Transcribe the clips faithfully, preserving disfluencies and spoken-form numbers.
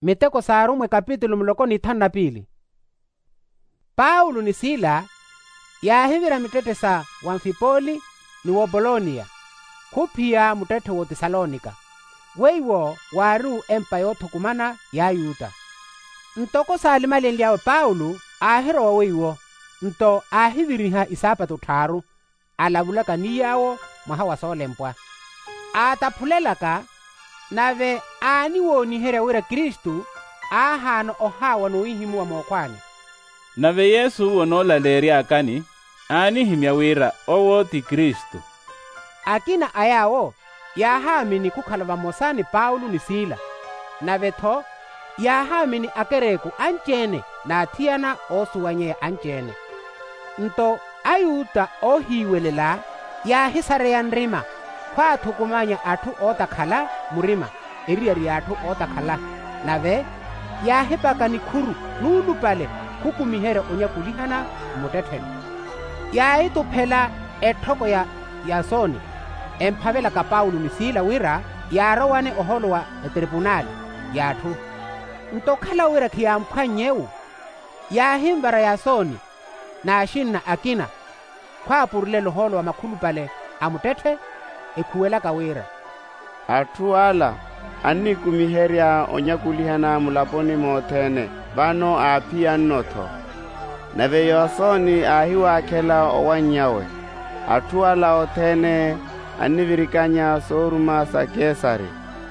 Miteko s'arumwa ekapitulu muloko n'ithanu na piili. Paulo ni sila yaahivira mittetthe sa wamfipoli ni wopoloniya, khuphiya muttetthe w'otesalonika weiwo waari-u empa yoothukumana y'ayuta. Ntoko saalimalenly'awe paulo aahirowa weiwo, nto aahiviriha isaapatu tthaaru, alavulaka ni yaawo mwaha wa soolempwa, aataphulelaka. Nave aaniwooniherya wira kristu aahaana ohaawa n'ohihimuwa mookhwaani. Nave yesu onoolaleery'akani aanihimya wira owo ti kristu. Akina a yaawo yaahaamini khukhala vamosa ni paulo ni sila, nave-tho yaahaamini akereku anci-ene n'athiyana oosuwanyeya anci-ene. Nto ayuta oohiiwelela yaahisareya nrima khwaathukumanya atthu ootakhala murima eriyari y'atthu ootakhala, nave yaahipaka nikhuru nuulupale khukumiherya onyakulihana mmuttettheni. Yaahituphela etthoko ya yasoni emphavelaka paulo ni sila wira yaarowane ohoolo wa etripunali y'atthu. Nto okhala wira khiyamphwannye-wu, yaahinvara yasoni n'axinna akina khwaapurulela ohoolo wa makhulupale a muttetthe, ekhuwelaka wira, atthu ala annikumiherya onyakulihana mulaponi mothene vano aaphiyanno-tho. Nave yasoni aahiwaakhela owanny'awe, atthu ala othene annivirikanya sooruma sa kesari,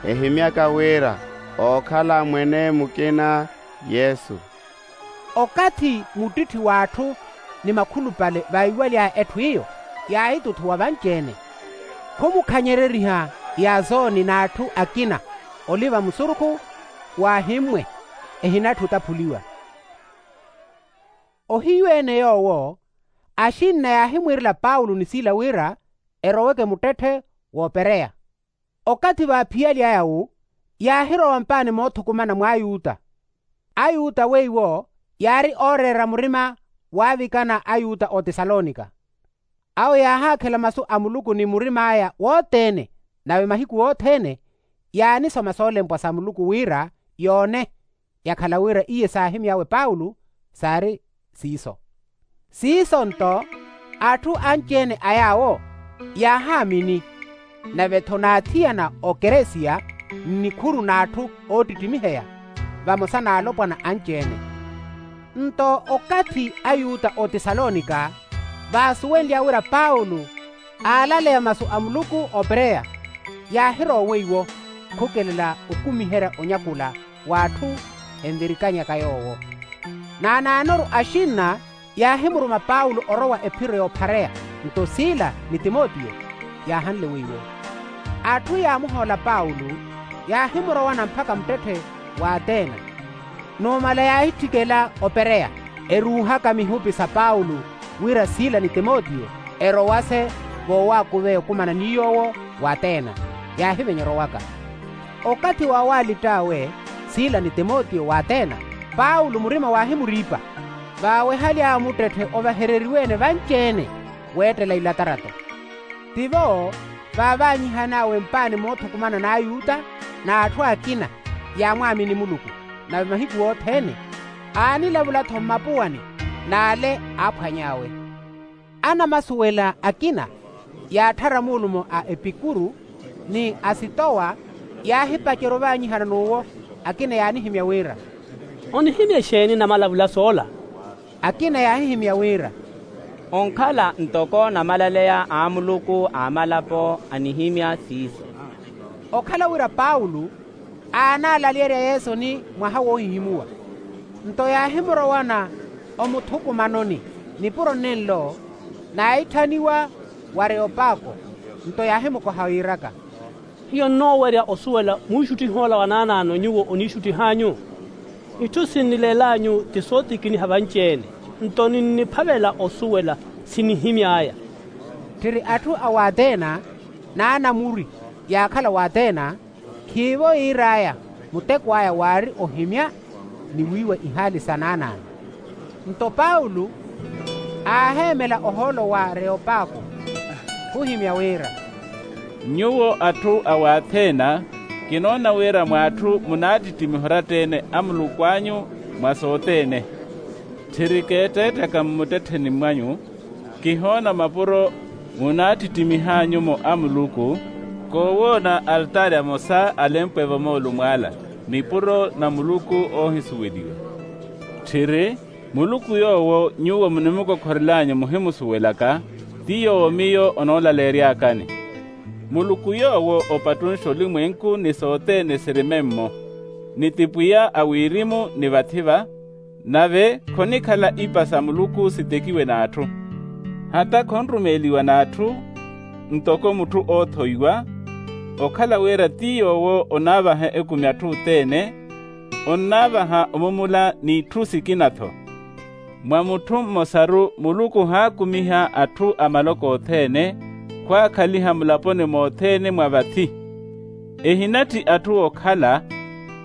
ehimyaka wira ookhala mwene mukina yesu. Okathi muttitthi w'atthu ni makhulupale vaiwaly'aya etthu iyo, yaahituthuwa vanci-ene, khumukhanyereriha yasoni n'atthu akina oliva musurukhu waahimmwe, ehinatthi otaphuliwa. Ohiyu-ene yoowo axinna yaahimwiirela paulo ni sila wira eroweke muttetthe w'opereya. Okathi vaaphiyaly'aya-wu yaahirowa mpaani moothukumana mw'ayuta. Ayuta weiwo yaari ooreera murima waavikana ayuta otesalonika. Awo yaahaakhela masu a muluku ni murim'aya wothene, nave mahiku othene yaanisoma soolempwa sa muluku wira yoone, yakhala wira iye saahimy'awe paulo saari siiso. Siiso nto atthu anci-ene a yaawo yaahaamini, nave-tho naathiyana okeresiya nnikhuru n'atthu oottittimiheya vamosa n'alopwana anci-ene. Nto okathi ayuta otesalonika vaasuwenlya wira paulo aalaleya masu a muluku opereya, yaahirowa weiwo khukelela okumiherya onyakula w'atthu envirikanyaka yoowo. Naanaanoru axinna yaahimuruma paulo orowa ephiro y'ophareya, nto sila ni timotiyo yaahanle weiwo. Atthu yaamuhoola paulo yaahimurowana mpakha muttetthe w'atena. Numala yaahitthikela opereya eruuhaka mihupi sa paulo wira sila ni timotiyo erowase voowakuveya okumana ni yoowo w'atena, yaahivenya orowaka. Okathi waawaalitt'awe sila ni timotiyo w'atena, paulo murima waahimuriipa vaawehaly'awe muttetthe ovahereriwe-ene vanci-ene weettela ilatarato. Tivo vaavaanyihan'awe mpaani moothukumana n'ayuta n'atthu akina yaamwaamini muluku, nave mahiku othene aanilavula-tho mmapuwani n'ale aaphwany'awe. Anamasuwela akina yaatthara muulumo a epikuru ni asitowa yaahipacerya ovaanyihana n'uwo. Akina yaanihimya wira, onihimya exeeni namalavula soola? Akina yaahihimya wira, onkhala ntoko namalaleya a muluku a malapo anihimya siiso. Okhala wira paulo aanaalaleerya yesu ni mwaha woohihimuwa, nto yaahimurowana omuthukumanoni nipuro nenlo naahitthaniwa w'areopako. Nto yaahimukoha yiiraka, hiyo nnoowerya osuwela mwiixuttihi ola wa naanaano nyuwo oniixuttih'anyu? Itthu sinnileel'anyu ti sootikiniha vanci-ene, nto ninniphavela osuwela sinihimy'aya. Tthiri atthu a w'atena n'anamuri yaakhala w'atena, khiivo yiir'aya muteko aya waari ohimya ni wiiwa ihaali sa naanaano. Nto paulo aaheemela ohoolo w'areopako khuhimya wira, nyuwo atthu a w'atena Kinoona wira mw'atthu munaattittimiha oratta-ene a muluku anyu mwa sothene. Tthiri keetteettaka mmuttettheni mwanyu, kihoona mapuro munaattittimihanyu-mo a muluku, koowoona altaari amosa alempwe-vo moolumo ala, nipuro na muluku oohisuweliwa. Tthiri, muluku yoowo nyuwo munimukokhorel'anyu muhimusuwelaka, ti yoowo miyo onoolaleery'akani. Muluku yoowo opattunxa olimwenku ni sothene siri memmo, ni ti pwiya a wirimu ni vathi-va, nave khonikhala ipa sa muluku sitekiwe n'atthu. Hata khonrumeeliwa n'atthu, ntoko mutthu oothoiwa, okhala wira ti yoowo onaavaha ekumi atthu othene, onnaavaha omumula n'itthu sikina-tho. Mwa mutthu mmosaru muluku haakumiha atthu a maloko othene, khwaakhaliha mulaponi mothene mwa vathi. Ehinatthi atthu okhala,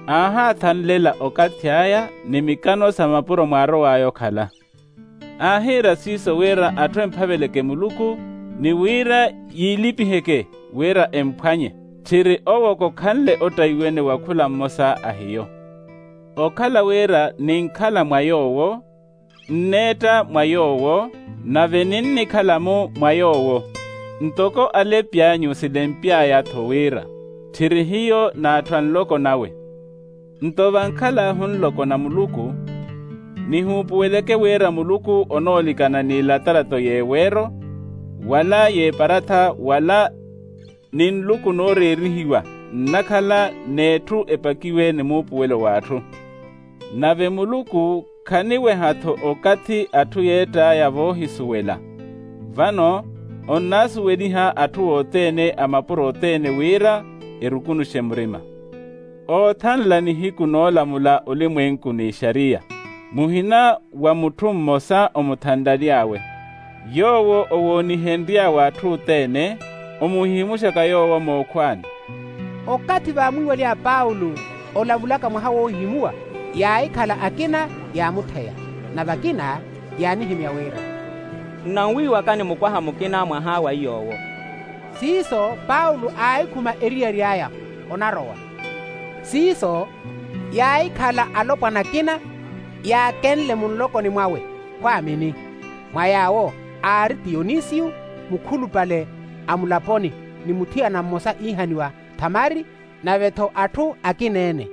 aahaathanlela okathi aya ni mikano sa mapuro mwaarow'aya okhala. Aahiira siiso wira atthu emphaveleke muluku, ni wira yiilipiheke wira emphwanye. Tthiri owo kokhanle ottaiwene wa khula mmosa a hiyo. Okhala wira ninkhala mwa yoowo, nneetta mwa yoowo, nave ninnikhala-mu mwa yoowo, ntoko alepi anyu silempy'aya-tho wira, tthiri hiyo n'atthu a nloko nawe. Nto vankhal'ahu nloko na muluku, nihuupuweleke wira muluku onoolikana n'ilatalato y'eweero, wala y'eparatha wala ni nluku nooreerihiwa nnakhala n'etthu epakiwe ni muupuwelo w'atthu. Nave muluku khaniweha-tho okathi atthu yeett'aya voohisuwela. Vano onnaasuweliha atthu othene a mapuro othene wira erukunuxe murima. Oothanla nihiku noolamula olimwenku n'ixariya, muhina wa mutthu mmosa omuthanlaly'awe. Yoowo owoonihenry'awe atthu othene, omuhihimuxaka yoowo mookhwaani. Okathi vaamwiiwaly'aya paulo olavulaka mwaha woohihimuwa, yaahikhala akina yaamutheya, nave akina yaanihimya wira, nnanwiiwaka ni mukwaha mukina mwaha wa iy'owo. Siiso paulo aahikhuma eriyari aya onarowa. Siiso yaahikhala alopwana akina yaakenle munlokoni mwawe khwaamini. Mwa yaawo aari tiyonisiyu mukhulupale a mulaponi, ni muthiyana mmosa iihaniwa thamari, nave-tho atthu akina-ene.